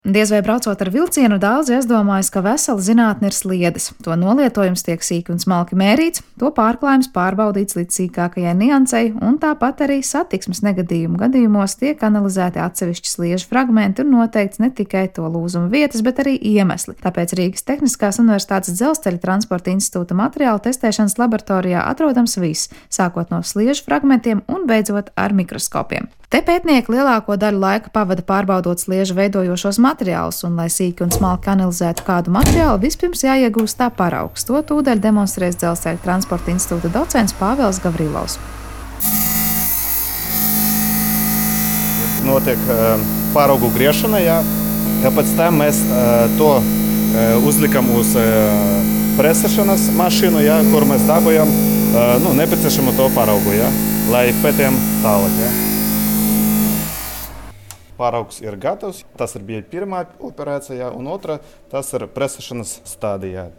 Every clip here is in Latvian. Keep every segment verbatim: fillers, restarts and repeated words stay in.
Diez vai braucot ar vilcienu, daudzi aizdomājas, ka vesela zinātne ir sliedes. To nolietojums tiek sīki un smalki mērīts, to pārklājums pārbaudīts līdz sīkākajai niansei, un tāpat arī satiksmes negadījumu gadījumos tiek analizēti atsevišķi sliežu fragmenti un noteikts ne tikai to lūzuma vietas, bet arī iemesli. Tāpēc Rīgas Tehniskās Universitātes Dzelzceļa transporta institūta materiālu testēšanas laboratorijā atrodams viss, sākot no sliežu fragmentiem un beidzot ar mikroskopiem. Te pētnieki lielāko daļu laika pavada pārbaudot sliežu veidojošos materiālus, un, lai sīki un smalki analizētu kādu materiālu, vispirms jāiegūst tā paraugs. To tūdaļ demonstrēs Dzelzceļa transporta institūta docents Pāvils Gavrilovs. Notiek paraugu griešana, jā. Pēc tam mēs to uzlikam uz presēšanas mašīnu, jā, kur mēs dabūjam nu, nepieciešamo to paraugu, jā, lai pētījam tālāk. Jā. Paraugs ir gatavs. Tas ir bija pirmā operācija, un otra tas ir presēšanas stadijā.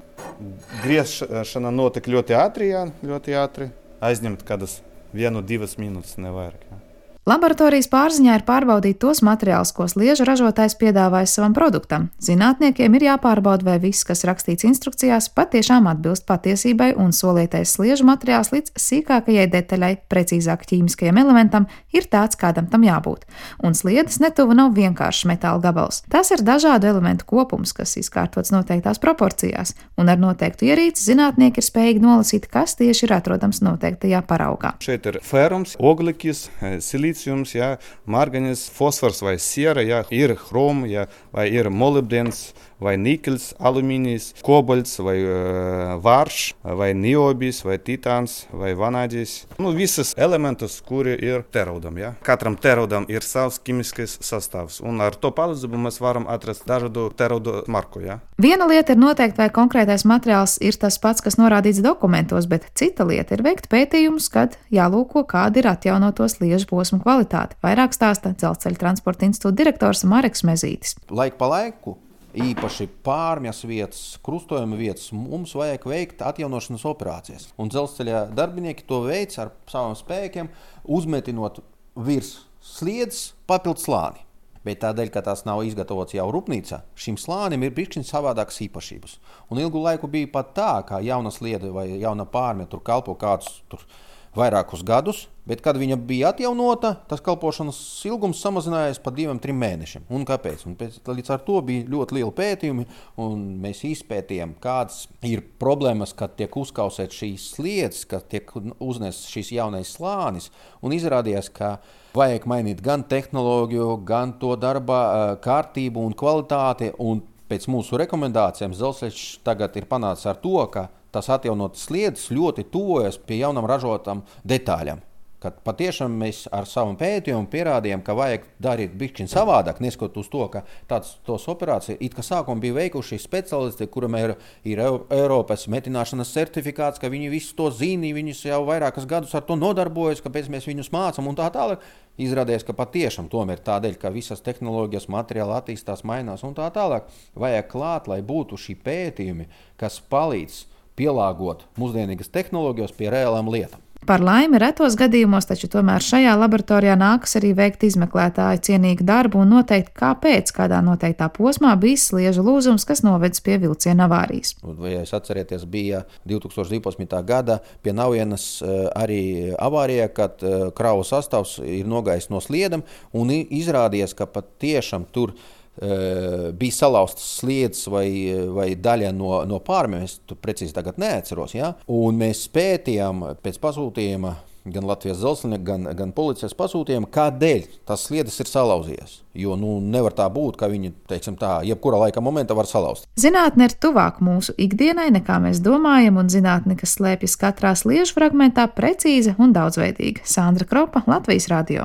Griešana notika ļoti ātri, jā, ļoti ātri. Aizņemt kādas vienu, divas minūtes nevairāk. Jā. Laboratorijas pārziņā ir pārbaudīt tos materiālus, ko sliežu ražotājs piedāvājis savam produktam. Zinātniekiem ir jāpārbauda, vai viss, kas rakstīts instrukcijās, patiešām atbilst patiesībai un solītais sliežu materiāls līdz sīkākajai detaļai, precīzāk ķīmiskajam elementam, ir tāds, kādam tam jābūt. Un sliedes netuva nav vienkāršs metāla gabals. Tas ir dažādu elementu kopums, kas izkārtots noteiktās proporcijās, un ar noteiktu ierīci zinātnieki ir spējīgi nolasīt, kas tieši ir atrodams noteiktajā paraugā. Šeit ir fērums, oglikis, silīts. Jā, marganis, fosfors vai siera, jā, ir hrom, jā, vai ir molibdens, vai nikels, alumīnijs, kobalts, vai uh, vārš, vai niobijs, vai titāns, vai vanādijs. Nu, visas elementus, kuri ir teraudam. Jā. Katram teraudam ir savs ķimiskais sastāvs, un ar to palīdzību mēs varam atrast dažādu teraudu marku. Jā. Viena lieta ir noteikt, vai konkrētais materiāls ir tas pats, kas norādīts dokumentos, bet cita lieta ir veikt pētījumus, kad jālūko, kāda ir atjaunoto sliežu posmu kvalitāte. Vairāk stāsta Dzelzceļa transporta institūta direktors Mareks Mezītis. Laik pa laiku, īpaši pārmjas vietas, krustojuma vietas, mums vajag veikt atjaunošanas operācijas. Un dzelzceļa darbinieki to veic ar saviem spēkiem, uzmetinot virs sliedes papildu slāni. Bet tādēļ, ka tās nav izgatavots jau rūpnīcā, šim slānim ir bišķiņ savādākas īpašības. Un ilgu laiku bija pat tā, ka jauna sliede vai jauna pārmja tur kalpo kādus tur vairākus gadus, bet, kad viņa bija atjaunota, tas kalpošanas ilgums samazinājās pa diviem, trim mēnešiem. Un kāpēc? Un pēc, līdz ar to bija ļoti lieli pētījumi, un mēs izpētījām, kādas ir problēmas, kad tiek uzkausēt šīs sliedes, kad tiek uznests šīs jaunais slānis, un izrādījās, ka vajag mainīt gan tehnoloģiju, gan to darba kārtību un kvalitāti, un pēc mūsu rekomendācijām Dzelzceļš tagad ir panācis ar to, ka tas atjaunotas sliedes ļoti tuvojas pie jaunam ražotam detaļām. Kad patiešām mēs ar savu pētījumu pierādījām, ka vajag darīt bišķiņ savādāk, neskot uz to, ka tāds tos operācija, it kā sākumā bija veikuši speciālisti, kuram ir, ir Eiropas metināšanas certifikāts, ka viņi visu to zina, viņus jau vairākas gadus ar to nodarbojas, kāpēc mēs viņus mācam un tā tālāk. Izrādījās, ka patiešām tomēr tādēļ, ka visas tehnoloģijas, materiāli attīstās, mainās un tā tālāk, vajag klāt, lai būtu šī pētījumi, kas palīdz pielāgot mūsdienīgas tehnoloģijas pie reālām lietām. Par laimi retos gadījumos, taču tomēr šajā laboratorijā nākas arī veikt izmeklētāju cienīgu darbu un noteikt, kāpēc kādā noteiktā posmā bijis sliežu lūzums, kas novedis pie vilciena avārijas. Vai jūs atcerieties, bija divi tūkstoši divpadsmitā gada pie Naujienas arī avārija, kad kravu sastāvs ir nogājis no sliedam un izrādījās, ka pat tiešām tur bija salauztas sliedes vai, vai daļa no, no pārmjām, es tu precīzi tagad neatceros, ja? Un mēs pētījām pēc pasūtījuma, gan Latvijas dzelzceļa, gan, gan policijas pasūtījuma, kādēļ tas sliedes ir salauzījies. Jo nu, nevar tā būt, ka viņi, teiksim tā, jebkura laika momentā var salauzt. Zinātne ir tuvāk mūsu ikdienai, nekā mēs domājam, un zinātne, kas slēpjas katrā sliežu fragmentā, precīza un daudzveidīga. Sandra Kropa, Latvijas radio.